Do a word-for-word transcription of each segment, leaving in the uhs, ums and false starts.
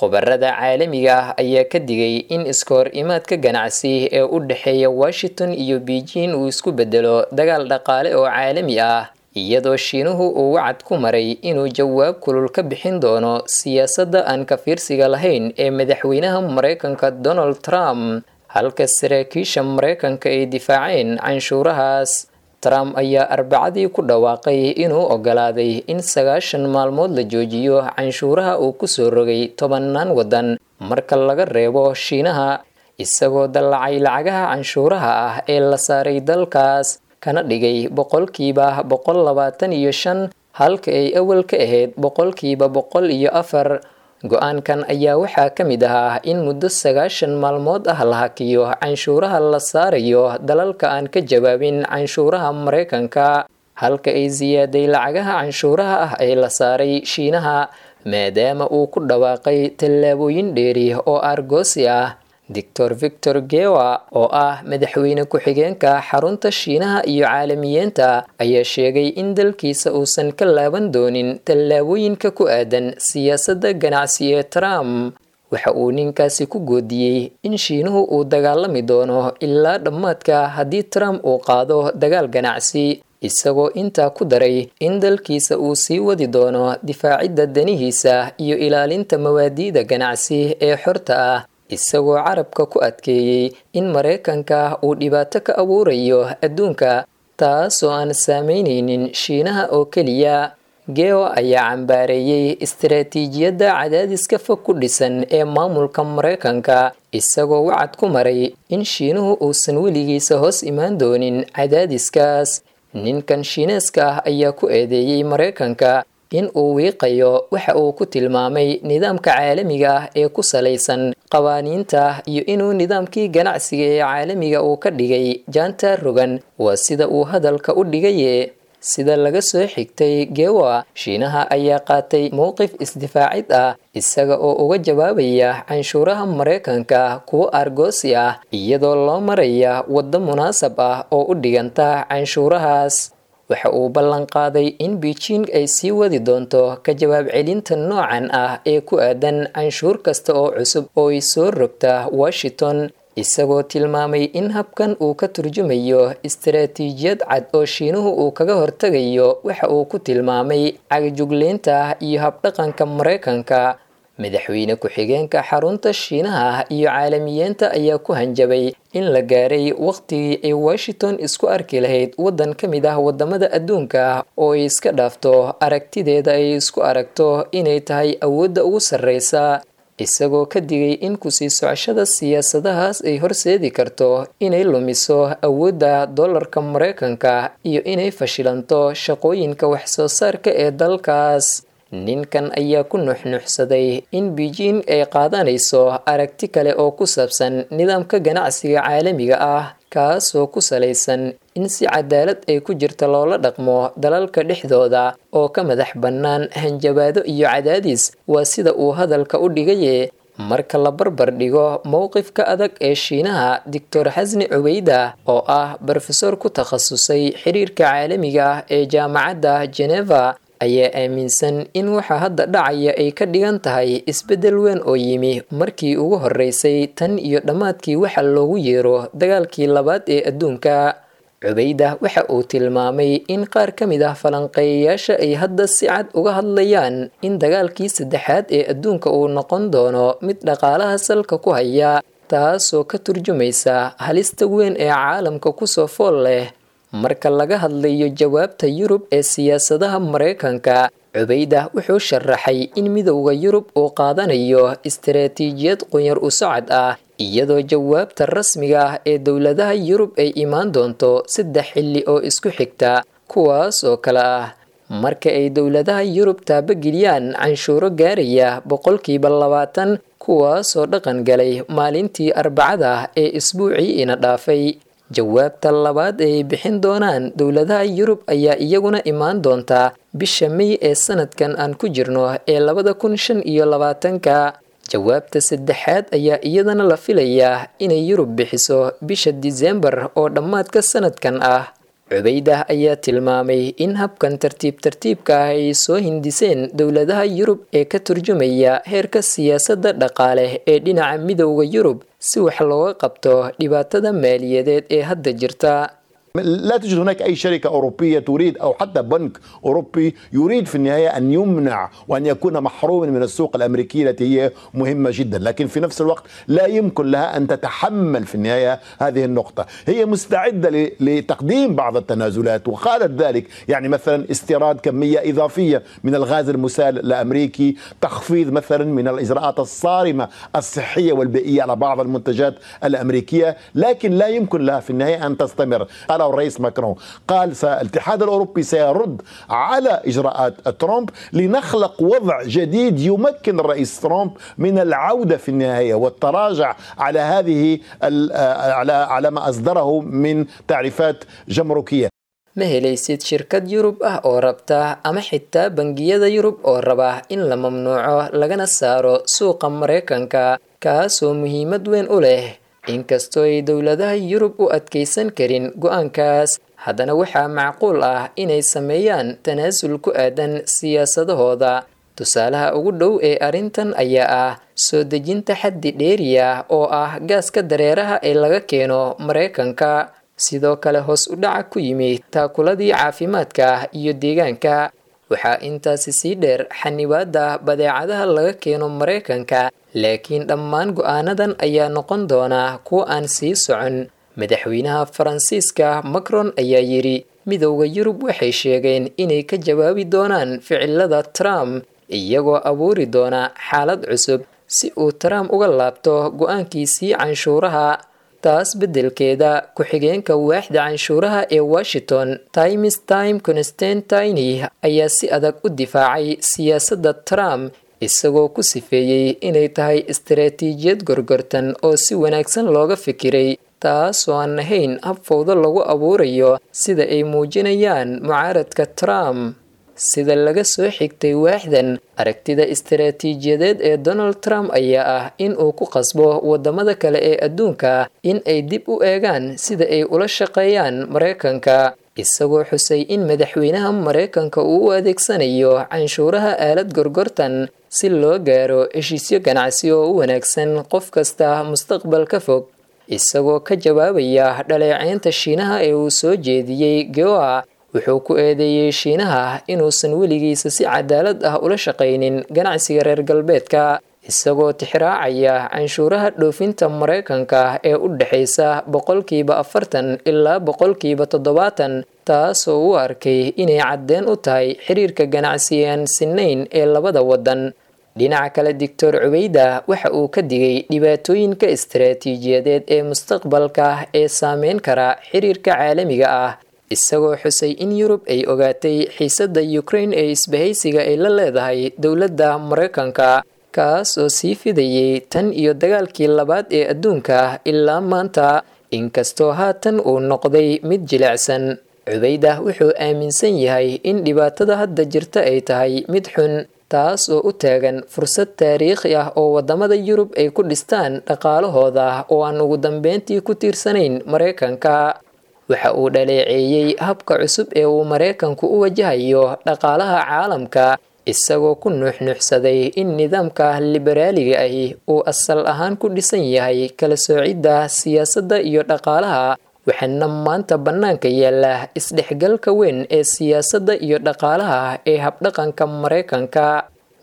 Khubarada caalamiga ah ayaa ka digay in iska hor imaadka ganacsi ee u dhexeeya Washington iyo Beijing uu isku bedelo dagaal dhaqaale oo caalami ah, iyadoo Shiinuhu uu wacad ku maray inuu jawaab kulul ka bixin doono siyaasadda aan ka fiirsiga lahayn ee madaxweynaha Maraykanka Donald Trump, halka saraakiisha Maraykanka ay difaaceen canshuurahaas. Trump ayaa Arbacadii ku dhawaaqay inuu ogolaaday in sagaashan maalmood la joojiyo canshuuraha uu kusoo rogay tobannaan waddan marka laga reebo Shiinaha, isagoo dallacay lacagaha canshuuraha ah ee la saaray dalkaas, kana dhigay boqolkiiba boqol labaatan iyo shan halka ay awal ka ahayd boqolkiiba boqol iyo afar. Go-aankan ayaa waxaa ka mid ahaa in muddo sagaashan maalmood ah la hakiyo canshuuraha la saarayo dalalka aan ka jawaabin canshuuraha Maraykanka, halka ay siyaaday lacagaha canshuuraha ah ee la saaray Shiinaha, maadaama uu ku dhawaaqay tallaabooyin dheeri oo aargoosi ah. Doctor Victor Gewa, oo ah madaxweyne ku-xigeenka xarunta Shiinaha iyo caalamiyiinta, ayaa sheegay in dalkiisa uusan ka laaban doonin tallaabooyinka ku aadan siyaasadda ganacsi ee Trump. Waxa uu ninkaasi ku goodiyey in Shiinuhu uu dagaalami doono ilaa dhammaadka haddii Trump uu qaado dagaal ganacsi, isagoo intaa ku daray in dalkiisa uu sii wadi doono difaacidda danihiisa iyo ilaalinta mawaadiida ganacsi ee xorta ah, isagoo carabka ku adkeeyey in Maraykanka uu dhibaato ka abuurayo adduunka, taasoo aan saameyneynin Shiinaha oo keliya. Geo ayaa cambaareeyey istaraatiijiyadda cadaadiska fog ku dhisan ee maamulka Maraykanka, isagoo wacad ku maray in Shiinuhu uusan weligiisa hoos imaan doonin cadaadiskaas. Ninkan Shiineeska ah ayaa ku eedeeyey Maraykanka in uu wiiqayo waxa uu ku tilmaamay nidaamka caalamiga ah ee ku salaysan qawaaniinta iyo inuu nidaamkii ganacsiga ee caalamiga uu ka dhigay jaanta rogan, waa sida uu hadalka u dhigaye. Sida laga soo xigtay Gewa, Shiinaha ayaa qaatay mowqif isdifaacid ah, isaga oo uga jawaabaya canshuuraha Maraykanka kuwo aargoosi ah, iyadoo loo maraya waddo munaasab ah oo u dhiganta canshuurahaas. Waxa uu ballan qaaday in Beijing ay sii wadi doonto ka jawaab celinta noocan ah ee ku aadan canshuur kasta oo cusub oo ay soo rogta Washington, isagoo tilmaamay in habkan uu ka turjumayo istaraatiijiyad cad oo Shiinuhu uu kaga hortagayo waxa uu ku tilmaamay cagajugleynta iyo habdhaqanka Maraykanka. Madaxweyne ku-xigeenka xarunta Shiinaha iyo caalamiyiinta ayaa ku hanjabay in la gaaray waqtigii ay Washington isku arki lahayd waddan ka mid ah wadamada adduunka oo ay iska dhaafto aragtideeda ay isku aragto inay tahay awoodda ugu sarreysa, isagoo ka digay in kusii socoshada siyaasadahaas ay horseedi karto inay lumiso awoodda dollarka Maraykanka iyo inay fashilanto shaqooyinka waxsoo saarka ee dalkaas. Ninkan ayaa ku nuxnuxsaday in Beijing ay qaadanayso aragti kale oo ku saabsan nidaamka ganacsiga caalamiga ah, kaasoo ku salaysan in si cadaalad ay ku jirta loola dhaqmo dalalka dhexdooda oo ka madax bannaan hanjabaado iyo cadaadis, waa sida uu hadalka u dhigaye. Marka la barbar dhigo mowqifka adag ee Shiinaha, Doctor Xasni Cubeyda, oo ah brofesor ku takhasusay xiriirka caalamiga ah ee jaamacadda Geneva, ayaa aaminsan in waxa hadda dhacaya ay ka dhigan tahay isbeddel weyn oo yimi markii ugu horreysay tan iyo dhammaadkii waxa loogu yeero dagaalkii labaad ee adduunka. Cubeyda waxa uu tilmaamay in qaar ka mid ah falanqeeyayaasha ay hadda si cad uga hadlayaan in dagaalkii saddexaad ee adduunka uu noqon doono mid dhaqaalaha salka ku haya, taasoo ka turjumaysa halista weyn ee caalamka kusoo fool leh. Marka laga hadlayo jawaabta Yurub ee siyaasadaha Maraykanka, Cubeyda wuxuu sharaxay in Midowda Yurub uu qaadanayo istaraatiijiyad qunyar u socod ah, iyadoo jawaabta rasmiga ah ee dowladaha Yurub ay imaan doonto saddex xilli oo isku xigta, kuwaas oo kale ah: marka ay dowladaha Yurub taabageliyaan canshuuro gaaraya boqolkiiba labaatan, kuwaasoo dhaqan galay maalintii Arbacada ee isbuucii ina dhaafay. Jawaabta labaad ee ay bixin doonaan dowladaha Yurub ayaa iyaguna imaan doonta bisha May ee sanadkan aan ku jirno ee labada kun shan iyo labaatanka. Jawaabta saddexaad ayaa iyadana la filayaa inay Yurub bixiso bisha Disembar oo dhammaadka sanadkan ah. Cubeydah ayaa tilmaamay in habkan tartiib tartiibka ah ay soo hindiseen dowladaha Yurub ee ka turjumaya heerka siyaasadda dhaqaale ee dhinaca Midowga Yurub si wax looga qabto dhibaatada maaliyadeed ee hadda jirta. لا تجد هناك أي شركة أوروبية تريد أو حتى بنك أوروبي يريد في النهاية أن يمنع وأن يكون محروما من السوق الأمريكية التي هي مهمة جدا، لكن في نفس الوقت لا يمكن لها أن تتحمل في النهاية هذه النقطة. هي مستعدة لتقديم بعض التنازلات وقالت ذلك، يعني مثلا استيراد كمية إضافية من الغاز المسال الأمريكي، تخفيض مثلا من الإجراءات الصارمة الصحية والبيئية على بعض المنتجات الأمريكية، لكن لا يمكن لها في النهاية أن تستمر. قال الرئيس ماكرون، قال الاتحاد الأوروبي سيرد على إجراءات ترامب لنخلق وضع جديد يمكن الرئيس ترامب من العودة في النهاية والتراجع على هذه على على ما أصدره من تعريفات جمركية. Ma helaysid shirkad Yurub ah oo rabta ama xitaa bangiyada Yurub oo raba in la mamnuuco lagana saaro suuqa Mareykanka, kaasoo muhiimad weyn u leh. Inkastoo ay dowladaha Yurub u adkeysan karin go'aankaas, haddana waxaa macquul ah inay sameeyaan tanaasul ku aadan siyaasadahooda. Tusaalaha ugu dhow ee arrintan ayaa ah soo dejinta xaddi dheeriya oo ah gaaska dareeraha ee laga keeno Mareykanka. Sidoo kale hoos u dhaca ku yimi taakuladii caafimaadka iyo deegaanka. Waxaa intaasi sii dheer xanibaadda badeecadaha laga keeno Mareykanka, laakiin dhammaan go'aanadan ayaa noqon doona kuwa aan sii socon. Madaxweynaha Faransiiska Macron ayaa yidhi, Midowda Yurub waxay sheegeen inay ka jawaabi doonaan ficilada Trump, iyagoo abuuri doona xaalad cusub si uu Trump uga laabto go'aankiisii canshuuraha. Taas beddelkeeda, ku-xigeenka waaxda canshuuraha ee Washington, Times Time Constantine, ayaa si adag u difaacay siyaasadda Trump, isagoo ku sifeeyey inay tahay istaraatiijiyad gorgortan oo si wanaagsan looga fikiray, taasoo aan ahayn hab fowdo lagu abuurayo sida ay muujinayaan mucaaradka Trump. Sida laga soo xigtay waaxdan, aragtida istaraatiijiyadeed ee Donald Trump ayaa ah in uu ku qasbo wadamada kale ee adduunka in ay dib u eegaan sida ay ula shaqeeyaan Mareykanka, isagoo xusay in madaxweynaha Mareykanka uu u adeegsanayo canshuuraha aalad gorgortan si loo gaaro heshiisyo ganacsi oo u wanaagsan qof kasta mustaqbalka fog. Isagoo ka jawaabaya dhaleeceynta Shiinaha ee uu soo jeediyey Goa, wuxuu ku eedeeyey Shiinaha inuusan weligiisa si cadaalad ah ula shaqaynin ganacsiga reer galbeedka, isagoo tixraacaya canshuuraha dhoofinta Mareykanka ee u dhexaysa boqolkiiba afartan ilaa boqolkiiba toddobaatan, taasoo u arkay inay caddeen u tahay xiriirka ganacsi aan sinayn ee labada waddan. Dhinaca kale, Doctor Cubeyda waxa uu ka digay dhibaatooyinka istaraatiijiyadeed ee mustaqbalka ee saameyn kara xiriirka caalamiga ah, isagoo xusay in Yurub ay ogaatay xiisadda Ukraine ee isbahaysiga ay la leedahay dowladda Mareykanka, kaas oo sii fidayay tan iyo dagaalkii labaad ee adduunka ilaa maanta, inkastoo haatan uu noqday mid jilicsan. Cubeydah wuxuu aaminsan yahay in dhibaatada hadda jirta ay tahay mid xun, taas oo u taagan fursad taariikhi ah oo wadamada Yurub ay ku dhistaan dhaqaalahooda oo aan ugu dambeyntii ku tiirsanayn Mareykanka. Waxa uu dhaleeceeyey habka cusub ee uu Mareykanku u wajahayo dhaqaalaha caalamka, isagoo ku nuuxnuuxsaday in nidaamka liberaaliga ahi uu asal ahaan ku dhisan yahay kala soocidda siyaasadda iyo dhaqaalaha, waxaana maanta bannaanka yaalla isdhexgalka weyn ee siyaasadda iyo dhaqaalaha ee habdhaqanka Mareykanka.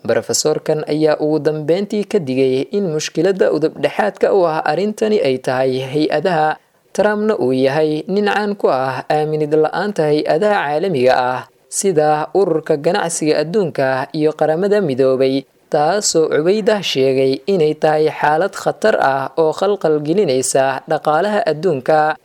Brofesorkan ayaa ugu dambeyntii ka digay in mushkiladda udubdhexaadka u ah arrintani ay tahay hay-adaha, Trumpna uu yahay nin caan ku ah aaminid la-aanta hay-adaha caalamiga ah sida Ururka Ganacsiga Adduunka iyo Qaramada Midoobay, taasoo Cubeydah sheegay inay tahay xaalad khatar ah oo khalkhal gelinaysa dhaqaalaha adduunka.